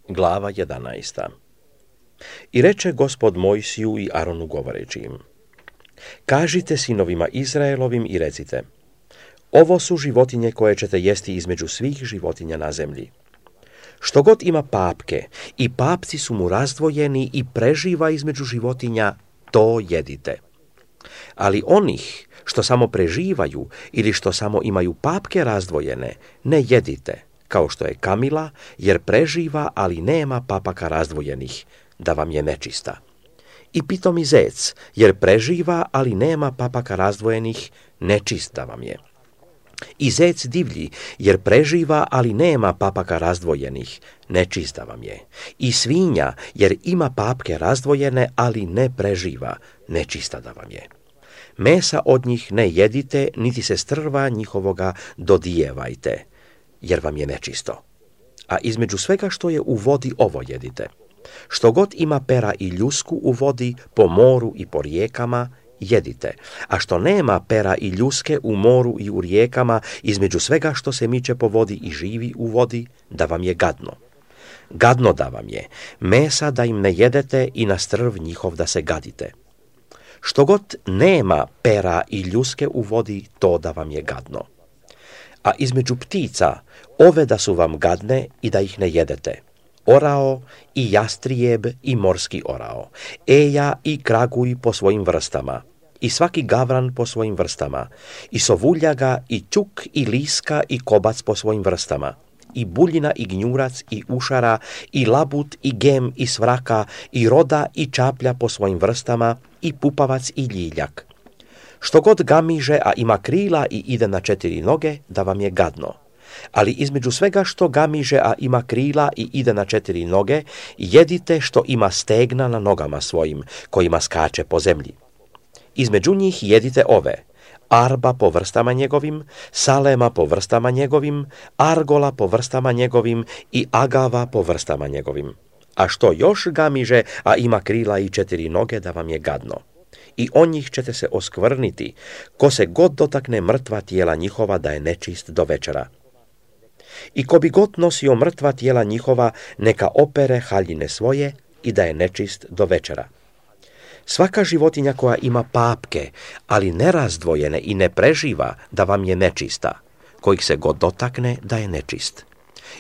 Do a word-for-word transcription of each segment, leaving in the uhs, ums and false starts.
Glava jedanaesta. I reče Gospod Mojsiju i Aronu govoreći im: Kažite sinovima Izraelovim i recite: Ovo su životinje koje ćete jesti između svih životinja na zemlji. Što god ima papke i papci su mu razdvojeni i preživa između životinja, to jedite. Ali onih što samo preživaju ili što samo imaju papke razdvojene, ne jedite, kao što je kamila, jer preživa, ali nema papaka razdvojenih, da vam je nečista. I pitomi zec, jer preživa, ali nema papaka razdvojenih, nečista vam je. I zec divlji, jer preživa, ali nema papaka razdvojenih, nečista vam je. I svinja, jer ima papke razdvojene, ali ne preživa, nečista da vam je. Mesa od njih ne jedite, niti se strva njihovoga dodijevajte, jer vam je nečisto. A između svega što je u vodi ovo jedite. Što god ima pera i ljusku u vodi, po moru i po rijekama, jedite. A što nema pera i ljuske u moru i u rijekama, između svega što se miče po vodi i živi u vodi, da vam je gadno. Gadno da vam je, mesa da im ne jedete i na strv njihov da se gadite. Što god nema pera i ljuske u vodi, to da vam je gadno. A između ptica, ove da su vam gadne i da ih ne jedete. Orao i jastrijeb i morski orao, eja i kraguj po svojim vrstama, i svaki gavran po svojim vrstama, i sovuljaga i ćuk i liska i kobac po svojim vrstama, i buljina i gnjurac i ušara, i labut i gem i svraka, i roda i čaplja po svojim vrstama, i pupavac i ljiljak. Što god gamiže, a ima krila i ide na četiri noge, da vam je gadno. Ali između svega što gamiže, a ima krila i ide na četiri noge, jedite što ima stegna na nogama svojim, kojima skače po zemlji. Između njih jedite ove: arba po vrstama njegovim, salema po vrstama njegovim, argola po vrstama njegovim i agava po vrstama njegovim. A što još gamiže, a ima krila i četiri noge, da vam je gadno. I o njih ćete se oskvrniti, ko se god dotakne mrtva tijela njihova, da je nečist do večera. I ko bi god nosio mrtva tijela njihova, neka opere haljine svoje i da je nečist do večera. Svaka životinja koja ima papke, ali nerazdvojene i ne preživa, da vam je nečista, kojih se god dotakne, da je nečist.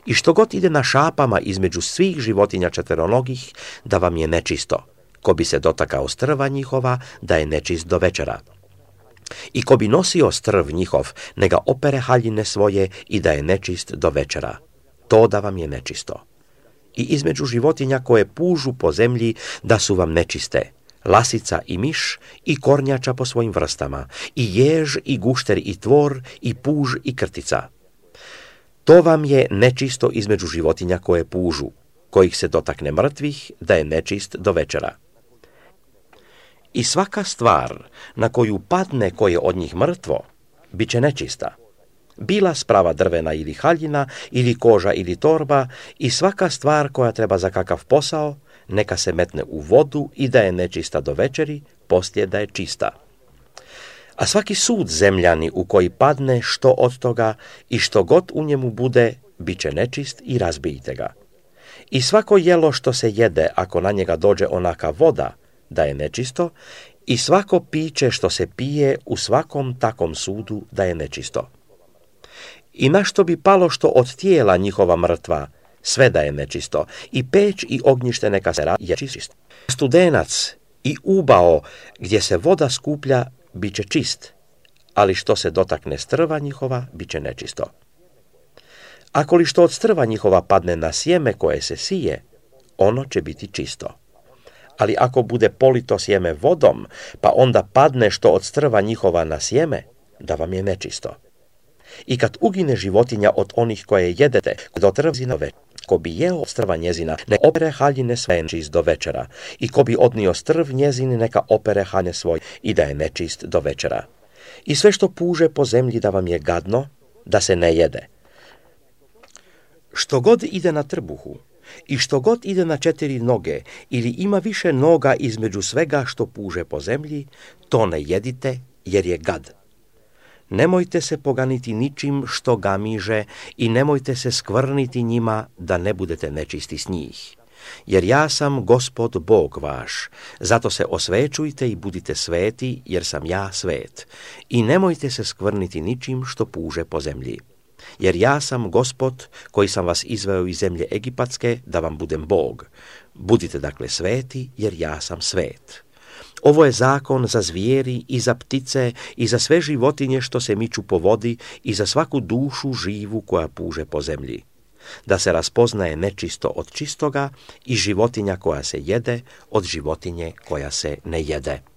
I što god ide na šapama između svih životinja četveronogih, da vam je nečisto. Ko bi se dotakao strva njihova, da je nečist do večera. I ko bi nosio strv njihov, neka opere haljine svoje i da je nečist do večera. To da vam je nečisto. I između životinja koje pužu po zemlji, da su vam nečiste: lasica i miš i kornjača po svojim vrstama, i jež i gušter i tvor i puž i krtica. To vam je nečisto između životinja koje pužu, kojih se dotakne mrtvih, da je nečist do večera. I svaka stvar na koju padne koje od njih mrtvo, bit će nečista. Bila sprava drvena ili haljina, ili koža ili torba, i svaka stvar koja treba za kakav posao, neka se metne u vodu i da je nečista do večeri, poslije da je čista. A svaki sud zemljani u koji padne što od toga i što god u njemu bude, bit će nečist i razbijte ga. I svako jelo što se jede, ako na njega dođe onaka voda, da je nečisto, i svako piće što se pije u svakom takom sudu, da je nečisto. I na što bi palo što od tijela njihova mrtva, sve da je nečisto, i peć i ognjište neka se je čist. Studenac i ubao gdje se voda skuplja, bit će čist, ali što se dotakne strva njihova, bit će nečisto. Ako li što od strva njihova padne na sjeme koje se sije, ono će biti čisto. Ali ako bude polito sjeme vodom, pa onda padne što od strva njihova na sjeme, da vam je nečisto. I kad ugine životinja od onih koje jedete, do trvzina večera, ko bi jeo od strva njezina, ne opere haljine svoje čist do večera, i ko bi odnio strv njezin, neka opere haljine svoje i da je nečist do večera. I sve što puže po zemlji, da vam je gadno, da se ne jede. Što god ide na trbuhu, i što god ide na četiri noge, ili ima više noga između svega što puže po zemlji, to ne jedite, jer je gad. Nemojte se poganiti ničim što gamiže i nemojte se skvrniti njima da ne budete nečisti s njih. Jer ja sam Gospod Bog vaš, zato se osvećujte i budite sveti, jer sam ja svet. I nemojte se skvrniti ničim što puže po zemlji. Jer ja sam Gospod koji sam vas izveo iz zemlje Egipatske da vam budem Bog. Budite dakle sveti, jer ja sam svet. Ovo je zakon za zvijeri i za ptice i za sve životinje što se miču po vodi i za svaku dušu živu koja puže po zemlji. Da se raspoznaje nečisto od čistoga i životinja koja se jede od životinje koja se ne jede.